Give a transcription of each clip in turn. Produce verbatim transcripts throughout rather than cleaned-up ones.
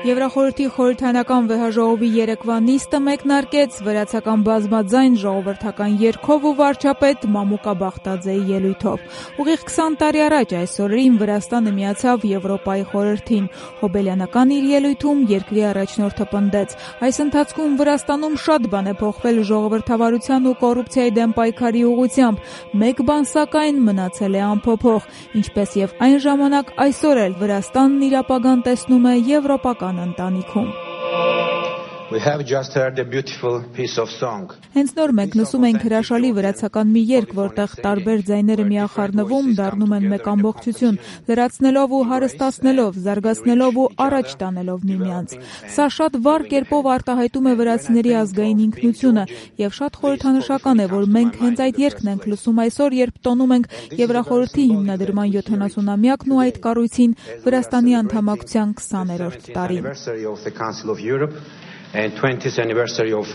Եվրախորհրդի խորհրդարանական վեհաժողովի երեկվա նիստը մեկնարկեց վրացական բազմաձայն ժողովրդական երգով ու վարչապետ Մամուկա Բախտաձեի ելույթով։ Ուղիղ քսան տարի առաջ այս օրերին Վրաստանը միացավ Եվրոպայի խորհրդին։ Հոբելյանական իր ելույթում երկրի առաջնորդը պնդեց. այս ընթացքում Վրաստանում շատ բան է փոխվել ժողովրդավարության ու կոռուպցիայի դեմ պայքարի ուղղությամբ։ Մեկ բան սակայն մնացել է անփոփոխ, ինչպես եւ այն ժամանակ, այսօր էլ Վրաստանն իր ապագան տեսնում է եվրոպական ընտանիքում։ We have just heard a beautiful piece of song. Հենց նոր մենք լսում ենք հրաշալի վրացական մի երգ, որտեղ տարբեր ձայները միախառնվում դառնում են մեկ ամբողջություն, լրացնելով ու հարստացնելով, զարգացնելով ու առաջ տանելով միմյանց։ Սա շատ վառ կերպով արտահայտում է վրացիների ազգային ինքնությունը, եւ շատ խորհրդանշական է, որ մենք հենց այդ երգն ենք լսում այսօր, երբ տոնում ենք Եվրախորհրդի հիմնադրման յոթանասունամյակն ու այդ կառույցին Վրաստանի անդամակցության քսաներորդ տարին։ And twentieth anniversary of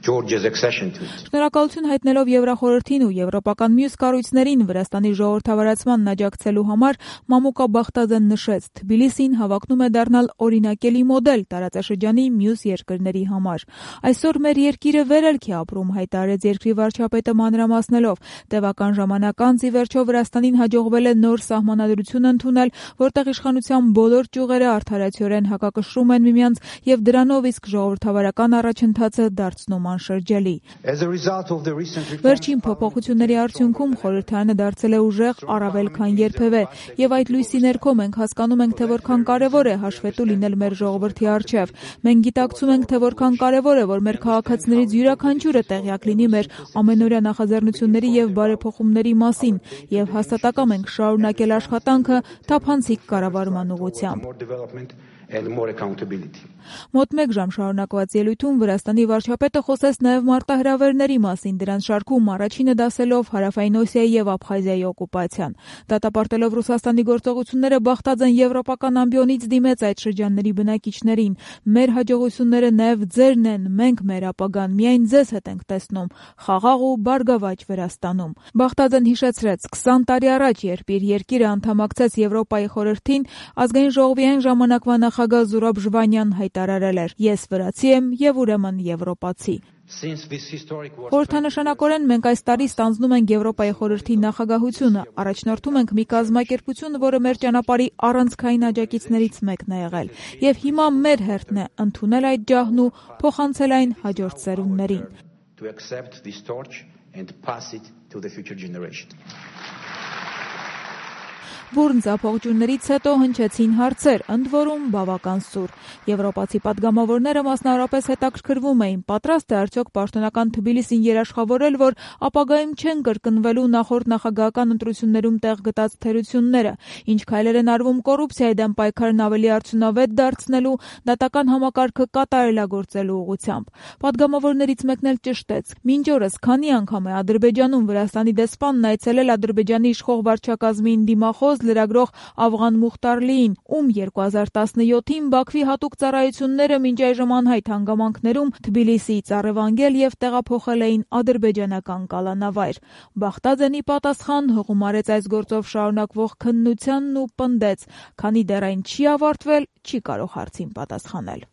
Georgia's accession to it. Շնորհակալություն հայտնելով Եվրախորհրդին ու եվրոպական մյուս կառույցներին Վրաստանի ժողովրդավարացմանն աջակցելու համար Մամուկա Բախտաձեն նշեց, Թբիլիսին հավակնում է դառնալ օրինակելի մոդել տարածաշրջանի մյուս երկրների համար։ Այսօր մեր երկիրը վերելք է ապրում, հայտարարեց երկրի վարչապետը մանրամասնելով։ Տևական ժամանակ անց ի վերջո Վրաստանին հաջողվել է նոր սահմանադրություն ընդունել, որտեղ իշխանության բոլոր ճյուղերը արդարացիորեն հակակշռում են միմյանց եւ դրանով իսկ ժողովրդավարական առաջընթացը դարձնում անշրջելի։ Վերջին փոփոխությունների արդյունքում խորհրդարանը դարձել է ուժեղ առավել քան երբևէ, եւ այդ լույսի ներքո մենք հասկանում ենք, թե որքան կարեւոր է հաշվետու լինել մեր ժողովրդի առջեւ։ Մենք գիտակցում ենք, թե որքան կարեւոր է, որ մեր քաղաքացիներից յուրաքանչյուրը տեղյակ լինի մեր ամենօրյա նախաձեռնությունների եւ բարեփոխումների մասին, եւ հաստատակամ ենք շարունակել աշխատանքը թափանցիկ կառավարման ուղղությամբ։ And more accountability. Մոտ մեկ ժամ շարունակված ելույթում Վրաստանի վարչապետը խոսեց նաև մարտահրավերների մասին, դրանց շարքում առաջինը դասելով Հարավային Օսիայի եւ Աբխազիայի օկուպացիան։ Դատապարտելով Ռուսաստանի գործողությունները Բախտաձեն եվրոպական ամբիոնից դիմեց այդ շրջանների բնակիչներին։ Մեր հաջողությունները նաև ձերն են, մենք մեր ապագան միայն ձեզ հետ ենք տեսնում, խաղաղ ու բարգավաճ Վրաստանում։ Բախտաձեն հիշեցրեց, քսան տարի առաջ, երբ իր երկիրը անդամակցեց Եվրոպայի խորհրդին, ազգային ժողովի այն ժամանակվա նախագահ Զուրաբ Ժվանյան հայտարարել էր. Ես վրացի եմ եւ ուրեմն եվրոպացի։ Խորհրդանշանակորեն մենք այս տարի ստանձնում ենք Եվրոպայի խորհրդի նախագահությունը, առաջնորդում ենք մի կազմակերպություն, որը մեր ճանապարհի առանցքային աջակիցներից մեկն է եղել, եւ հիմա մեր հերթն է ընդունել այդ ջահն ու փոխանցել այն հաջորդ սերունդներին։ Բուրն ձախողջուններից հետո հնչեցին հարցեր, ընդ որում բավական սուր։ Եվրոպացի պատգամավորները մասնավորապես հետաքրքրվում էին, պատրաստ է արդյոք պաշտոնական Թբիլիսին երաշխավորել, որ ապագայում չեն կրկնվելու նախորդ նախագահական ընտրություններում տեղ գտած թերությունները, ինչ քայլեր են արվում կոռուպցիայի դեմ պայքարն ավելի արդյունավետ դարձնելու, դատական համակարգը կատարելագործելու ուղղությամբ։ Պատգամավորներից մեկն էլ ճշտեց. մինչ օրս քանի անգամ է Ադրբեջանում Վրաստանի դեսպանն այցելել Ադրբեջանի իշխող վարչակազմին դիմախոս լրագրող Ավղան Մուխտարլիին, ում երկու հազար տասնյոթին Բաքվի հատուկ ծառայությունները մինչ այժմ անհայտ հանգամանքներում Թբիլիսիից առևանգել եւ տեղափոխել էին ադրբեջանական կալանավայր։ Բախտաձենի պատասխան հողում արեց այս գործով շարունակվող քննությանն ու պնդեց, քանի դեռ այն չի ավարտվել, չի կարող հարցին պատասխանել։